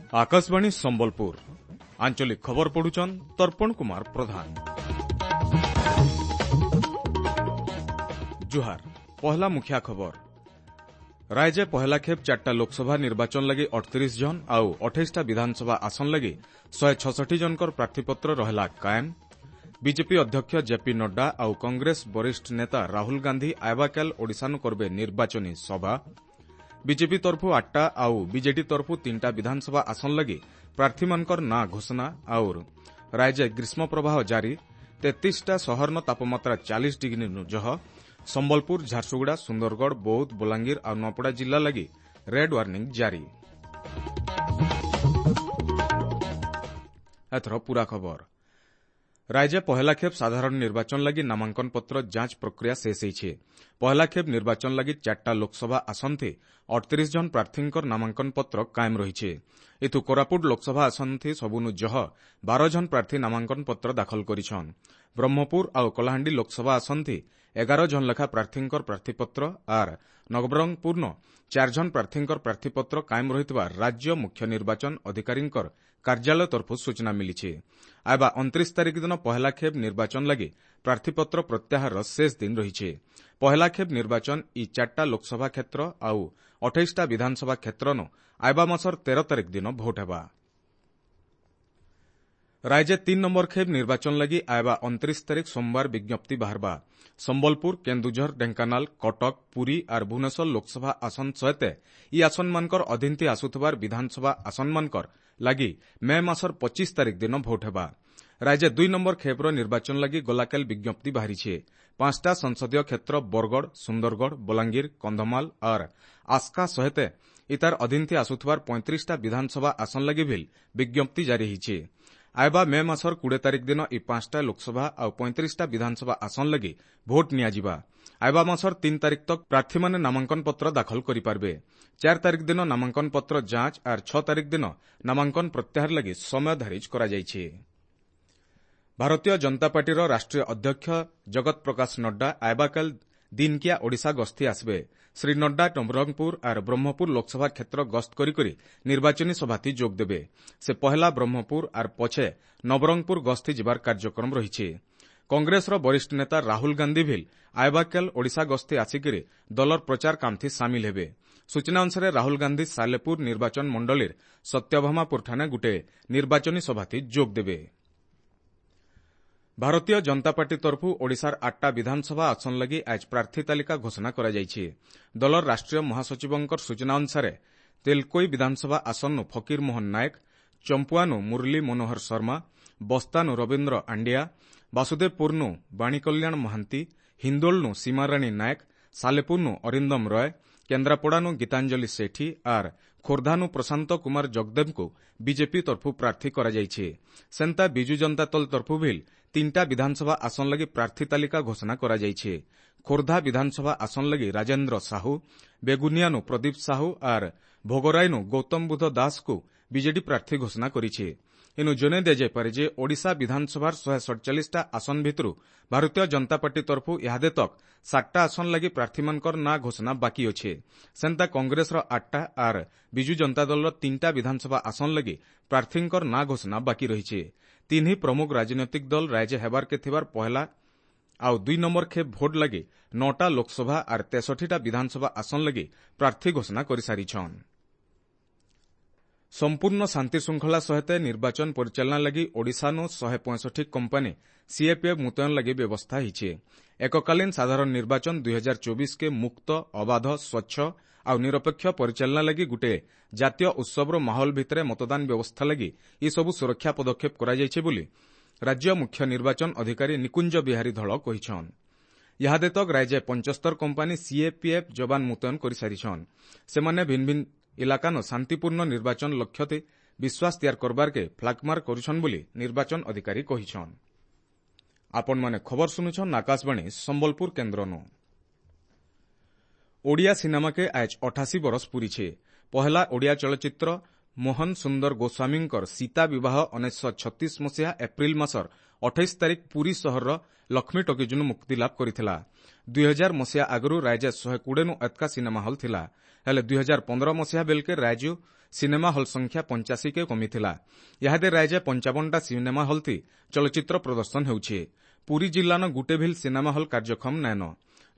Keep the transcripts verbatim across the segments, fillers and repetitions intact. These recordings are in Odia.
ଆକାଶବାଣୀ ସମ୍ବଲପୁର ଆଞ୍ଚଳିକ ଖବର ପଢୁଛନ୍ ତର୍ପଣ କୁମାର ପ୍ରଧାନ। ଜୁହାର, ପହଲା ମୁଖିଆ ଖବର। ରାଜ୍ୟ ପହେଲା ଖେପ୍ ଚାରିଟା ଲୋକସଭା ନିର୍ବାଚନ ଲାଗି ଅଠତିରିଶ ଜଣ ଆଉ ଅଠେଇଶଟା ବିଧାନସଭା ଆସନ ଲାଗି ଶହେ ଛଷଠି ଜଣଙ୍କର ପ୍ରାର୍ଥୀପତ୍ର ରହଲା କାଏମ୍। ବିଜେପି ଅଧ୍ୟକ୍ଷ ଜେପି ନଡ୍ଡା ଆଉ କଂଗ୍ରେସ ବରିଷ୍ଠ ନେତା ରାହୁଲ ଗାନ୍ଧୀ ଆଇବାକାଲ ଓଡ଼ିଶାନୁ କରବେ ନିର୍ବାଚନୀ ସଭା। ବିଜେପି ତରଫୁ ଆଠଟା ଆଉ ବିଜେଡି ତରଫୁ ତିନିଟା ବିଧାନସଭା ଆସନ ଲାଗି ପ୍ରାର୍ଥୀମାନଙ୍କର ନାଁ ଘୋଷଣା। ଆଉ ରାଜ୍ୟ ଗ୍ରୀଷ୍ମ ପ୍ରବାହ ଜାରି, ତେତିଶଟା ସହରନ ତାପମାତ୍ରା ଚାଳିଶ ଡିଗ୍ରୀନୁ ଜହ। ସମ୍ବଲପୁର, ଝାରସୁଗୁଡ଼ା, ସୁନ୍ଦରଗଡ଼, ବୌଦ୍ଧ, ବଲାଙ୍ଗୀର ଆଉ ନୂଆପଡ଼ା ଜିଲ୍ଲା ଲାଗି ରେଡ୍ ୱାର୍ଣ୍ଣିଂ ଜାରି। ଏଥର ପୂରା ଖବର। ରାଜ୍ୟ ପହେଲା ଖେପ୍ ସାଧାରଣ ନିର୍ବାଚନ ଲାଗି ନାମାଙ୍କନପତ୍ର ଯାଞ୍ଚ ପ୍ରକ୍ରିୟା ଶେଷ ହୋଇଛି। ପହେଲା ଖେପ୍ ନିର୍ବାଚନ ଲାଗି ଚାରିଟା ଲୋକସଭା ଆସନଥି ଅଠତିରିଶ ଜଣ ପ୍ରାର୍ଥୀଙ୍କର ନାମାଙ୍କନପତ୍ର କାଏମ୍ ରହିଛି। ଏଥୁ କୋରାପୁଟ ଲୋକସଭା ଆସନଥି ସବୁନୁ ଜହ ବାର ଜଣ ପ୍ରାର୍ଥୀ ନାମାଙ୍କନପତ୍ର ଦାଖଲ କରିଛନ୍। ବ୍ରହ୍ମପୁର ଆଉ କଳାହାଣ୍ଡି ଲୋକସଭା ଆସନଥି ଏଗାର ଜଣ ଲେଖା ପ୍ରାର୍ଥୀଙ୍କର ପ୍ରାର୍ଥୀପତ୍ର ଆର୍ ନବରଙ୍ଗପୁରନ ଚାରି ଜଣ ପ୍ରାର୍ଥୀଙ୍କର ପ୍ରାର୍ଥୀପତ୍ର କାଏମ୍ ରହିଥିବା ରାଜ୍ୟ ମୁଖ୍ୟ ନିର୍ବାଚନ ଅଧିକାରୀଙ୍କର କାର୍ଯ୍ୟାଳୟ ତରଫରୁ ସୂଚନା ମିଳିଛି। ଆଇବା ଅଣତିରିଶ ତାରିଖ ଦିନ ପହେଲା ଖେପ୍ ନିର୍ବାଚନ ଲାଗି ପ୍ରାର୍ଥୀପତ୍ର ପ୍ରତ୍ୟାହାରର ଶେଷ ଦିନ ରହିଛି। ପହେଲା ଖେପ୍ ନିର୍ବାଚନ ଇ ଚାରିଟା ଲୋକସଭା କ୍ଷେତ୍ର ଆଉ ଅଠେଇଶଟା ବିଧାନସଭା କ୍ଷେତ୍ରନୁ ଆଇବା ମାସର ତେର ତାରିଖ ଦିନ ଭୋଟ ହେବା। ରାଜ୍ୟ ତିନି ନମ୍ବର ଖେପ୍ ନିର୍ବାଚନ ଲାଗି ଆଇବା ଅଣତିରିଶ ତାରିଖ ସୋମବାର ବିଜ୍ଞପ୍ତି ବାହାରବା। ସମ୍ବଲପୁର, କେନ୍ଦୁଝର, ଢେଙ୍କାନାଳ, କଟକ, ପୁରୀ ଆର୍ ଭୁବନେଶ୍ୱର ଲୋକସଭା ଆସନ ସହିତ ଇ ଆସନମାନଙ୍କର ଅଧୀନଥି ଆସୁଥିବାର ବିଧାନସଭା ଆସନମାନଙ୍କର ଲାଗି ମେ ମାସର ପଚିଶ ତାରିଖ ଦିନ ଭୋଟ ହେବା। ରାଜ୍ୟ ଦୁଇ ନମ୍ବର ଖେପ୍ର ନିର୍ବାଚନ ଲାଗି ଗଲାକାଲି ବିଜ୍ଞପ୍ତି ବାହାରିଛି। ପାଞ୍ଚଟା ସଂସଦୀୟ କ୍ଷେତ୍ର ବରଗଡ଼, ସୁନ୍ଦରଗଡ଼, ବଲାଙ୍ଗୀର, କନ୍ଧମାଳ ଆର୍ ଆସ୍କା ସହିତ ଇତାର ଅଧୀନଥି ଆସୁଥିବାର ପଇଁତିରିଶଟା ବିଧାନସଭା ଆସନ ଲାଗି ଭିଲ୍ ବିଜ୍ଞପ୍ତି ଜାରି ହୋଇଛି। ଆଇବା ମେ ମାସର କୋଡ଼ିଏ ତାରିଖ ଦିନ ଇ ପାଞ୍ଚଟା ଲୋକସଭା ଆଉ ପଇଁତିରିଶଟା ବିଧାନସଭା ଆସନ ଲାଗି ଭୋଟ ନିଆଯିବା। ଆଇବା ମାସର ତିନି ତାରିଖ ତକ୍ ପ୍ରାର୍ଥୀମାନେ ନାମାଙ୍କନପତ୍ର ଦାଖଲ କରିପାରିବେ। ଚାରି ତାରିଖ ଦିନ ନାମାଙ୍କନପତ୍ର ଯାଞ୍ଚ ଆର୍ ଛଅ ତାରିଖ ଦିନ ନାମାଙ୍କନ ପ୍ରତ୍ୟାହାର ଲାଗି ସମୟ ଧାରିଜ କରାଯାଇଛି। ଭାରତୀୟ ଜନତା ପାର୍ଟିର ରାଷ୍ଟ୍ରୀୟ ଅଧ୍ୟକ୍ଷ ଜଗତ ପ୍ରକାଶ ନଡ୍ଡା ଆଇବାକାଲ ଦିନକିଆ ଓଡ଼ିଶା ଗସ୍ତି ଆସିବେ। ଶ୍ରୀ ନଡ୍ଡା ନବରଙ୍ଗପୁର ଆର୍ ବ୍ରହ୍ମପୁର ଲୋକସଭା କ୍ଷେତ୍ର ଗସ୍ତ କରିକରି ନିର୍ବାଚନୀ ସଭାତି ଯୋଗଦେବେ। ସେ ପହେଲା ବ୍ରହ୍ମପୁର ଆର୍ ପଛେ ନବରଙ୍ଗପୁର ଗସ୍ତି ଯିବାର କାର୍ଯ୍ୟକ୍ରମ ରହିଛି। କଂଗ୍ରେସର ବରିଷ୍ଠ ନେତା ରାହୁଲ ଗାନ୍ଧୀ ଭିଲ୍ ଆଇବାକାଲ ଓଡ଼ିଶା ଗସ୍ତି ଆସିକରି ଦଳର ପ୍ରଚାର କାମଥି ସାମିଲ ହେବେ। ସୂଚନା ଅନୁସାରେ ରାହୁଲ ଗାନ୍ଧୀ ସାଲେପୁର ନିର୍ବାଚନ ମଣ୍ଡଳୀର ସତ୍ୟଭାମାପୁରଠାନେ ଗୋଟିଏ ନିର୍ବାଚନୀ ସଭାତି ଯୋଗଦେବେ। ଭାରତୀୟ ଜନତା ପାର୍ଟି ତରଫରୁ ଓଡ଼ିଶାର ଆଠଟା ବିଧାନସଭା ଆସନ ଲାଗି ଆଜ ପ୍ରାର୍ଥୀ ତାଲିକା ଘୋଷଣା କରାଯାଇଛି। ଦଳର ରାଷ୍ଟ୍ରୀୟ ମହାସଚିବଙ୍କର ସୂଚନା ଅନୁସାରେ ତେଲକୋଇ ବିଧାନସଭା ଆସନରୁ ଫକୀର ମୋହନ ନାୟକ, ଚମ୍ପୁଆନୁ ମୁରଲୀ ମନୋହର ଶର୍ମା, ବସ୍ତାନୁ ରବୀନ୍ଦ୍ର ଆଣ୍ଡିଆ, ବାସୁଦେବପୁରନୁ ବାଣୀକଲ୍ୟାଣ ମହାନ୍ତି, ହିନ୍ଦୋଳନୁ ସୀମାରାଣୀ ନାୟକ, ସାଲେପୁରନୁ ଅରିନ୍ଦମ ରୟ, କେନ୍ଦ୍ରାପଡ଼ାନୁ ଗୀତାଞ୍ଜଳି ସେଠୀ ଆର୍ ଖୋର୍ଦ୍ଧାନୁ ପ୍ରଶାନ୍ତ କୁମାର ଜଗଦେବଙ୍କୁ ବିଜେପି ତରଫରୁ ପ୍ରାର୍ଥୀ କରାଯାଇଛି। ସେନ୍ତା ବିଜୁ ଜନତା ଦଳ ତରଫରୁ ଭିଲ୍ ତିନିଟା ବିଧାନସଭା ଆସନ ଲାଗି ପ୍ରାର୍ଥୀ ତାଲିକା ଘୋଷଣା କରାଯାଇଛି। ଖୋର୍ଦ୍ଧା ବିଧାନସଭା ଆସନ ଲାଗି ରାଜେନ୍ଦ୍ର ସାହୁ, ବେଗୁନିଆନୁ ପ୍ରଦୀପ ସାହୁ ଆର୍ ଭୋଗରାଇନୁ ଗୌତମ ବୁଦ୍ଧ ଦାସଙ୍କୁ ବିଜେଡି ପ୍ରାର୍ଥୀ ଘୋଷଣା କରିଛି। ଏନୁ ଜଣାଇ ଦିଆଯାଇପାରେ ଯେ ଓଡ଼ିଶା ବିଧାନସଭାର ଶହେ ସଡ଼ଚାଳିଶଟା ଆସନ ଭିତରୁ ଭାରତୀୟ ଜନତା ପାର୍ଟି ତରଫରୁ ଇହାଦେ ତକ୍ ସାତଟା ଆସନ ଲାଗି ପ୍ରାର୍ଥୀମାନଙ୍କର ନାଁ ଘୋଷଣା ବାକି ଅଛି। ସେନ୍ତା କଂଗ୍ରେସର ଆଠଟା ଆର୍ ବିଜୁ ଜନତା ଦଳର ତିନିଟା ବିଧାନସଭା ଆସନ ଲାଗି ପ୍ରାର୍ଥୀଙ୍କର ନାଁ ଘୋଷଣା ବାକି ରହିଛି। ତିନି ପ୍ରମୁଖ ରାଜନୈତିକ ଦଳ ରାଜ୍ୟ ହେବାରକେ ଥିବାର ପହେଲା ଆଉ ଦୁଇ ନମ୍ବର ଖେପ୍ ଭୋଟ ଲାଗି ନଅଟା ଲୋକସଭା ଆର୍ ତେଷଠିଟା ବିଧାନସଭା ଆସନ ଲାଗି ପ୍ରାର୍ଥୀ ଘୋଷଣା କରିସାରିଛନ୍। ସମ୍ପୂର୍ଣ୍ଣ ଶାନ୍ତିଶୃଙ୍ଖଳା ସହିତ ନିର୍ବାଚନ ପରିଚାଳନା ଲାଗି ଓଡ଼ିଶାନୁ ଶହେ ପଞ୍ଚଷଠି କମ୍ପାନୀ ସିଏପିଏଫ୍ ମୁତୟନ ଲାଗି ବ୍ୟବସ୍ଥା ହୋଇଛି। ଏକକାଳୀନ ସାଧାରଣ ନିର୍ବାଚନ ଦୁଇ ହଜାର ଚବିଶକେ ମୁକ୍ତ, ଅବାଧ, ସ୍ୱଚ୍ଛ ଆଉ ନିରପେକ୍ଷ ପରିଚାଳନା ଲାଗି ଗୋଟିଏ ଜାତୀୟ ଉତ୍ସବର ମାହୋଲ ଭିତରେ ମତଦାନ ବ୍ୟବସ୍ଥା ଲାଗି ଏସବୁ ସୁରକ୍ଷା ପଦକ୍ଷେପ କରାଯାଇଛି ବୋଲି ରାଜ୍ୟ ମୁଖ୍ୟ ନିର୍ବାଚନ ଅଧିକାରୀ ନିକୁଞ୍ଜ ବିହାରୀ ଧଳ କହିଛନ୍। ଇହାଦେ ତକ୍ ରାଜ୍ୟ ପଞ୍ଚସ୍ତର କମ୍ପାନୀ ସିଏପିଏଫ୍ ଯବାନ ମୁତୟନ କରିସାରିଛନ୍। ସେମାନେ ଭିନ୍ନ ଭିନ୍ନ ଇଲାକାନ ଶାନ୍ତିପୂର୍ଣ୍ଣ ନିର୍ବାଚନ ଲକ୍ଷ୍ୟତେ ବିଶ୍ୱାସ ତିଆର କରବାରକେ ଫ୍ଲାଗମାର୍କ କରୁଛନ୍ ବୋଲି ନିର୍ବାଚନ ଅଧିକାରୀ କହିଛନ୍। ଆପଣମାନେ ଖବର ଶୁଣୁଛନ୍ ଆକାଶବାଣୀ ସମ୍ବଲପୁର କେନ୍ଦ୍ରନୁ। ଓଡ଼ିଆ ସିନେମାକେ ଆଜ ଅଠାଶୀ ବରଷ ପୁରିଛେ। ପହେଲା ଓଡ଼ିଆ ଚଳଚ୍ଚିତ୍ର ମୋହନ ସୁନ୍ଦର ଗୋସ୍ୱାମୀଙ୍କର ସୀତା ବିବାହ ଉଣେଇଶହ ଛତିଶ ମସିହା ଏପ୍ରିଲ ମାସର ଅଠେଇଶ ତାରିଖ ପୁରୀ ସହରର ଲକ୍ଷ୍ମୀ ଟକିଜନୁ ମୁକ୍ତିଲାଭ କରିଥିଲା। ଦୁଇ ହଜାର ମସିହା ଆଗରୁ ରାଜ୍ୟ ଶହେ କୋଡ଼ିଏନୁ ଏତକା ସିନେମା ହଲ୍ ଥିଲା। ହେଲେ ଦୁଇ ହଜାର ପନ୍ଦର ମସିହା ବେଲକେ ରାଜ୍ୟ ସିନେମା ହଲ୍ ସଂଖ୍ୟା ପଞ୍ଚାଅଶୀକେ କମିଥିଲା। ଇହାଦେ ରାଜ୍ୟ ପଞ୍ଚାବନଟା ସିନେମା ହଲ୍ ଥି ଚଳଚ୍ଚିତ୍ର ପ୍ରଦର୍ଶନ ହେଉଛି। ପୁରୀ ଜିଲ୍ଲାନ ଗୁଟେ ଭିଲ୍ ସିନେମା ହଲ୍ କାର୍ଯ୍ୟକ୍ଷମ ନାଇନ।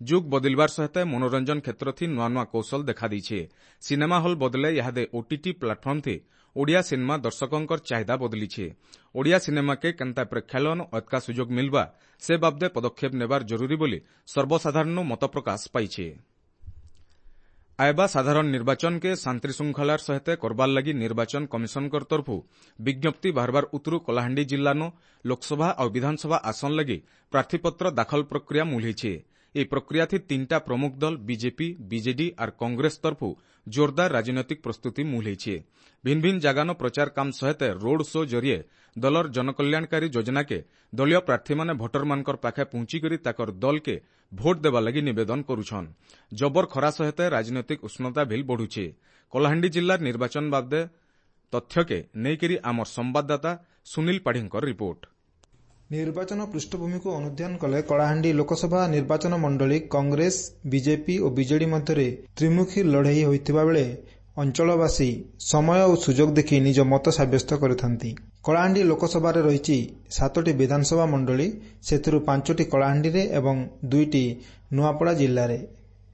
ଯୁଗ ବଦଳିବାର ସହିତ ମନୋରଞ୍ଜନ କ୍ଷେତ୍ର ଥି ନୂଆ ନୂଆ କୌଶଳ ଦେଖାଦେଇଛେ। ସିନେମା ହଲ୍ ବଦଲେ ଇହାଦେ ଓଟିଟି ପ୍ଲାଟଫର୍ମ ଥି ଓଡ଼ିଆ ସିନେମା ଦର୍ଶକଙ୍କର ଚାହିଦା ବଦଳିଛେ। ଓଡ଼ିଆ ସିନେମାକେ କେନ୍ତା ପ୍ରେକ୍ଷାଳୟନ ଅତକା ସୁଯୋଗ ମିଲବା ସେ ବାବଦେ ପଦକ୍ଷେପ ନେବାର ଜରୁରୀ ବୋଲି ସର୍ବସାଧାରଣ ମତ ପ୍ରକାଶ ପାଇছে। ଆଇବା ସାଧାରଣ ନିର୍ବାଚନକେ ଶାନ୍ତିଶୃଙ୍ଖଳାର ସହିତ କରବାର ଲାଗି ନିର୍ବାଚନ କମିଶନଙ୍କ ତରଫରୁ ବିଜ୍ଞପ୍ତି ବାହାରବାର ଉତରୁ କଳାହାଣ୍ଡି ଜିଲ୍ଲାନ ଲୋକସଭା ଆଉ ବିଧାନସଭା ଆସନ ଲାଗି ପ୍ରାର୍ଥୀପତ୍ର ଦାଖଲ ପ୍ରକ୍ରିୟା ମୂଲ ହେଇଛେ। ଏହି ପ୍ରକ୍ରିୟାଥି ତିନିଟା ପ୍ରମୁଖ ଦଳ ବିଜେପି, ବିଜେଡି ଆର୍ କଂଗ୍ରେସ ତରଫରୁ ଜୋରଦାର ରାଜନୈତିକ ପ୍ରସ୍ତୁତି ମୂଲ ହେଇଛେ। ଭିନ୍ନ ଭିନ୍ନ ଜାଗାନ ପ୍ରଚାର କାମ ସହିତ ରୋଡ୍ ଶୋ ଜରିଏ ଦଳର ଜନକଲ୍ୟାଣକାରୀ ଯୋଜନାକେ ଦଳୀୟ ପ୍ରାର୍ଥୀମାନେ ଭୋଟରମାନଙ୍କର ପାଖେ ପହଞ୍ଚିକରି ତାକର ଦଳକେ ଭୋଟ ଦେବା ଲାଗି ନିବେଦନ କରୁଛନ୍। ଜବର ଖରା ସହିତ ରାଜନୈତିକ ଉଷ୍ଣତା ଭିଲ୍ ବଢୁଛେ। କଳାହାଣ୍ଡି ଜିଲ୍ଲାର ନିର୍ବାଚନ ବାବଦେ ତଥ୍ୟକେ ନେଇକରି ଆମର ସମ୍ବାଦଦାତା ସୁନୀଲ ପାଢ଼ୀଙ୍କର ରିପୋର୍ଟ। ନିର୍ବାଚନ ପୃଷ୍ଠଭୂମିକୁ ଅନୁଧ୍ୟାନ କଲେ କଳାହାଣ୍ଡି ଲୋକସଭା ନିର୍ବାଚନ ମଣ୍ଡଳୀ କଂଗ୍ରେସ, ବିଜେପି ଓ ବିଜେଡି ମଧ୍ୟରେ ତ୍ରିମୁଖୀ ଲଢ଼େଇ ହୋଇଥିବା ବେଳେ ଅଞ୍ଚଳବାସୀ ସମୟ ଓ ସୁଯୋଗ ଦେଖି ନିଜ ମତ ସାବ୍ୟସ୍ତ କରିଥାନ୍ତି। କଳାହାଣ୍ଡି ଲୋକସଭାରେ ରହିଛି ସାତୋଟି ବିଧାନସଭା ମଣ୍ଡଳୀ, ସେଥିରୁ ପାଞ୍ଚଟି କଳାହାଣ୍ଡିରେ ଏବଂ ଦୁଇଟି ନୂଆପଡ଼ା ଜିଲ୍ଲାରେ।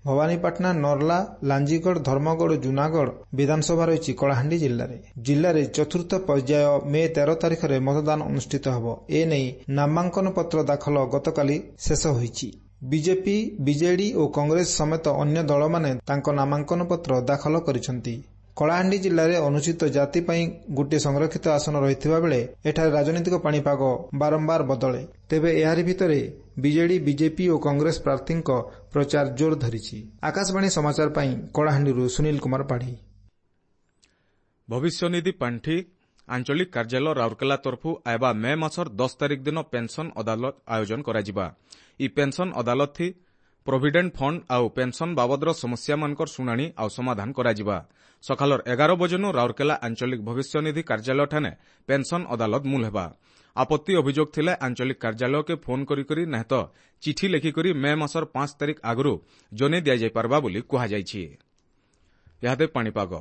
ଭବାନୀପାଟଣା, ନର୍ଲା, ଲାଞ୍ଜିଗଡ଼, ଧର୍ମଗଡ଼ ଓ ଜୁନାଗଡ଼ ବିଧାନସଭା ରହିଛି କଳାହାଣ୍ଡି ଜିଲ୍ଲାରେ। ଜିଲ୍ଲାରେ ଚତୁର୍ଥ ପର୍ଯ୍ୟାୟ ମେ ତେର ତାରିଖରେ ମତଦାନ ଅନୁଷ୍ଠିତ ହେବ। ଏ ନେଇ ନାମାଙ୍କନ ପତ୍ର ଦାଖଲ ଗତକାଲି ଶେଷ ହୋଇଛି। ବିଜେପି, ବିଜେଡି ଓ କଂଗ୍ରେସ ସମେତ ଅନ୍ୟ ଦଳମାନେ ତାଙ୍କ ନାମାଙ୍କନ ପତ୍ର ଦାଖଲ କରିଛନ୍ତି। କଳାହାଣ୍ଡି ଜିଲ୍ଲାରେ ଅନୁସୂଚିତ ଜାତି ପାଇଁ ଗୋଟିଏ ସଂରକ୍ଷିତ ଆସନ ରହିଥିବା ବେଳେ ଏଠାରେ ରାଜନୈତିକ ପାଣିପାଗ ବାରମ୍ବାର ବଦଳେ। ତେବେ ଏହାରି ଭିତରେ ବିଜେଡି, ବିଜେପି ଓ କଂଗ୍ରେସ ପ୍ରାର୍ଥୀଙ୍କ ପ୍ରଚାର ଜୋର ଧରିଛି। ଆକାଶବାଣୀ ସମାଚାର ପାଇଁ କଳାହାଣ୍ଡିରୁ ସୁନୀଲ କୁମାର ପାଢ଼ୀ। ଭବିଷ୍ୟନିଧି ପାଣ୍ଠି ଆଞ୍ଚଳିକ କାର୍ଯ୍ୟାଳୟ ରାଉରକେଲା ତରଫରୁ ଆଇବା ମେ ମାସର ଦଶ ତାରିଖ ଦିନ ପେନ୍ସନ୍ ଅଦାଲତ ଆୟୋଜନ କରାଯିବା। ଇ ପେନ୍ସନ୍ ଅଦାଲତ ଥି ପ୍ରୋଭିଡେଣ୍ଟ ଫଣ୍ଡ ଆଉ ପେନ୍ସନ୍ ବାବଦର ସମସ୍ୟାମାନଙ୍କର ଶୁଣାଣି ଆଉ ସମାଧାନ କରାଯିବା। ସକାଳର ଏଗାର ବଜେନୁ ରାଉରକେଲା ଆଞ୍ଚଳିକ ଭବିଷ୍ୟନିଧି କାର୍ଯ୍ୟାଳୟଠାନେ ପେନ୍ସନ୍ ଅଦାଲତ ମୂଲ ହେବା। ଆପତ୍ତି ଅଭିଯୋଗ ଥିଲେ ଆଞ୍ଚଳିକ କାର୍ଯ୍ୟାଳୟକେ ଫୋନ୍ କରିକରି ନାହେଁ ତ ଚିଠି ଲେଖିକରି ମେ ମାସର ପାଞ୍ଚ ତାରିଖ ଆଗରୁ ଜନେଇ ଦିଆଯାଇପାରବା ବୋଲି କୁହାଯାଇଛି। ଇହାଦେ ପାଣିପାଗ।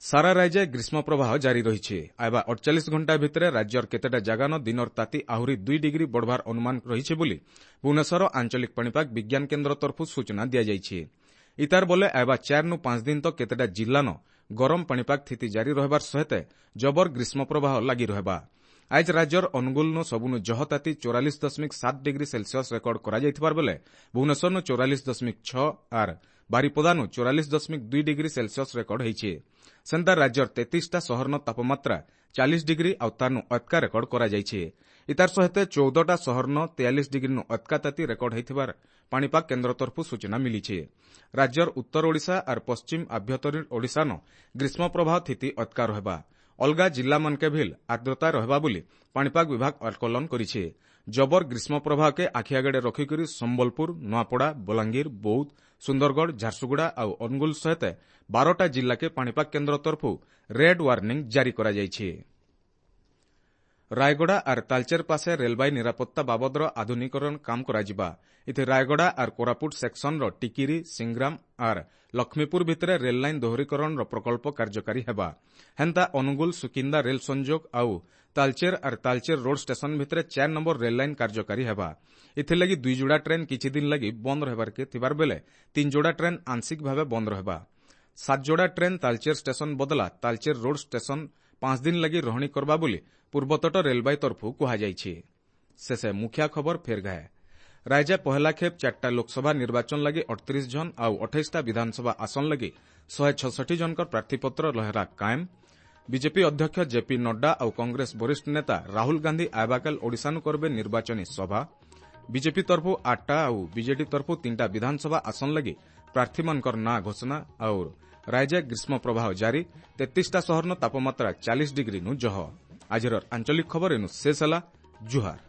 ସାରା ରାଜ୍ୟ ଗ୍ରୀଷ୍ମ ପ୍ରବାହ ଜାରି ରହିଛି। ଆଇବା ଅଠଚାଳିଶ ଘଣ୍ଟା ଭିତରେ ରାଜ୍ୟର କେତେଟା ଜାଗାନ ଦିନର ତାତି ଆହୁରି ଦୁଇ ଡିଗ୍ରୀ ବଢ଼ବାର ଅନୁମାନ ରହିଛି ବୋଲି ଭୁବନେଶ୍ୱର ଆଞ୍ଚଳିକ ପାଣିପାଗ ବିଜ୍ଞାନ କେନ୍ଦ୍ର ତରଫରୁ ସୂଚନା ଦିଆଯାଇଛି। ଇତାର ବଲେ ଆଇବା ଚାରିନୁ ପାଞ୍ଚ ଦିନ ତ କେତେଟା ଜିଲ୍ଲାନ ଗରମ ପାଣିପାଗ ସ୍ଥିତି ଜାରି ରହିବାର ସହିତ ଜବର ଗ୍ରୀଷ୍ମ ପ୍ରବାହ ଲାଗି ରହିବା। ଆଜ ରାଜ୍ୟର ଅନୁଗୁଳନୁ ସବୁନୁ ଜହ ତାତି ଚଉରାଳିଶ ଦଶମିକ ସାତ ଡିଗ୍ରୀ ସେଲସିୟସ୍ ରେକର୍ଡ କରାଯାଇଥିବାର ବେଲେ ଭୁବନେଶ୍ୱରନୁ ଚଉରାଳିଶ ଦଶମିକ ଛଅ ଆର୍ ବାରିପଦାନୁ ଚଉରାଳିଶ ଦଶମିକ ଦୁଇ ଡିଗ୍ରୀ ସେଲସିୟସ୍ ରେକର୍ଡ ହୋଇଛି। ସେନ୍ତା ରାଜ୍ୟର ତେତିଶଟା ସହରନ ତାପମାତ୍ରା ଚାଳିଶ ଡିଗ୍ରୀ ଆଉ ତାନୁ ଅତକା ରେକର୍ଡ କରାଯାଇଛି। ଇତାର ସହିତ ଚଉଦଟା ସହରନ ତେୟାଳିଶ ଡିଗ୍ରୀନୁ ଅତକା ତାତି ରେକର୍ଡ ହୋଇଥିବାର ପାଣିପାଗ କେନ୍ଦ୍ର ତରଫରୁ ସୂଚନା ମିଳିଛି। ରାଜ୍ୟର ଉତ୍ତର ଓଡ଼ିଶା ଆର୍ ପଶ୍ଚିମ ଆଭ୍ୟନ୍ତରୀଣ ଓଡ଼ିଶାନ ଗ୍ରୀଷ୍ମ ପ୍ରବାହ ସ୍ଥିତି ଅତକା ରହିବା। ଅଲଗା ଜିଲ୍ଲାମାନକେ ଭିଲ୍ ଆର୍ଦ୍ରତା ରହିବା ବୋଲି ପାଣିପାଗ ବିଭାଗ ଆକଳନ କରିଛି। ଜବର ଗ୍ରୀଷ୍ମ ପ୍ରବାହକେ ଆଖିଆଗଡ଼େ ରଖିକରି ସମ୍ବଲପୁର, ନୂଆପଡ଼ା, ବଲାଙ୍ଗୀର, ବୌଦ୍ଧ, ସୁନ୍ଦରଗଡ଼, ଝାରସୁଗୁଡ଼ା ଆଉ ଅନୁଗୁଳ ସହିତ ବାରଟା ଜିଲ୍ଲାକେ ପାଣିପାଗ କେନ୍ଦ୍ର ତରଫରୁ ରେଡ୍ ୱାର୍ଣ୍ଣିଂ ଜାରି କରାଯାଇଛି। ରାୟଗଡ଼ା ଆର୍ ତାଲଚେର ପାଶେ ରେଲବାଇ ନିରାପତ୍ତା ବାବଦର ଆଧୁନିକୀକରଣ କାମ କରାଯିବା। ଏଥି ରାୟଗଡ଼ା ଆର୍ କୋରାପୁଟ ସେକ୍ସନର ଟିକିରି, ସିଂଗ୍ରାମ ଆର୍ ଲକ୍ଷ୍ମୀପୁର ଭିତରେ ରେଲ୍ ଲାଇନ୍ ଦୋହରୀକରଣର ପ୍ରକଳ୍ପ କାର୍ଯ୍ୟକାରୀ ହେବା। ହେନ୍ତା ଅନୁଗୁଳ ସୁକିନ୍ଦା ରେଲ୍ ସଂଯୋଗ ଆଉ ତାଲଚେର ଆର୍ ତାଲଚେର ରୋଡ୍ ଷ୍ଟେସନ ଭିତରେ ଚାରି ନମ୍ବର ରେଲ୍ ଲାଇନ୍ କାର୍ଯ୍ୟକାରୀ ହେବା। ଏଥିଲାଗି ଦୁଇ ଯୋଡ଼ା ଟ୍ରେନ୍ କିଛି ଦିନ ଲାଗି ବନ୍ଦ ରହିବାରକେ ଥିବାର ବେଲେ ତିନି ଯୋଡ଼ା ଟ୍ରେନ୍ ଆଂଶିକ ଭାବେ ବନ୍ଦ ରହିବା। ସାତ ଯୋଡ଼ା ଟ୍ରେନ୍ ତାଲଚେର ଷ୍ଟେସନ ବଦଲା ତାଲଚେର ରୋଡ୍ ଷ୍ଟେସନ ପାଞ୍ଚ ଦିନ ଲାଗି ରହଣି କରବା ବୋଲି ପୂର୍ବତଟ ରେଲବାଇ ତରଫରୁ କୁହାଯାଇଛି। ଶେଷେ ମୁଖିଆ ଖବର ଫେର ଗାଏ। ରାଜ୍ୟ ପହେଲା ଖେପ୍ ଚାରିଟା ଲୋକସଭା ନିର୍ବାଚନ ଲାଗି ଅଠତିରିଶ ଜଣ ଆଉ ଅଠେଇଶଟା ବିଧାନସଭା ଆସନ ଲାଗି ଶହେ ଛଷଠି ଜଣଙ୍କର ପ୍ରାର୍ଥୀପତ୍ର ଲହେରା କାଏମ। ବିଜେପି ଅଧ୍ୟକ୍ଷ ଜେପି ନଡ୍ଡା ଆଉ କଂଗ୍ରେସ ବରିଷ୍ଠ ନେତା ରାହୁଲ ଗାନ୍ଧୀ ଆଇବାକାଲ ଓଡ଼ିଶାନୁ କରବେ ନିର୍ବାଚନୀ ସଭା। ବିଜେପି ତରଫରୁ ଆଠଟା ଆଉ ବିଜେଡି ତରଫରୁ ତିନିଟା ବିଧାନସଭା ଆସନ ଲାଗି ପ୍ରାର୍ଥୀମାନଙ୍କର ନାଁ ଘୋଷଣା। ଆଉ ରାଜ୍ୟ ଗ୍ରୀଷ୍ମ ପ୍ରବାହ ଜାରି, ତେତିଶଟା ସହରନ ତାପମାତ୍ରା ଚାଳିଶ ଡିଗ୍ରୀନୁ ଜହ। ଆଜିର ଆଞ୍ଚଳିକ ଖବର ଏନୁ ଶେଷ ହେଲା। ଜୁହାର।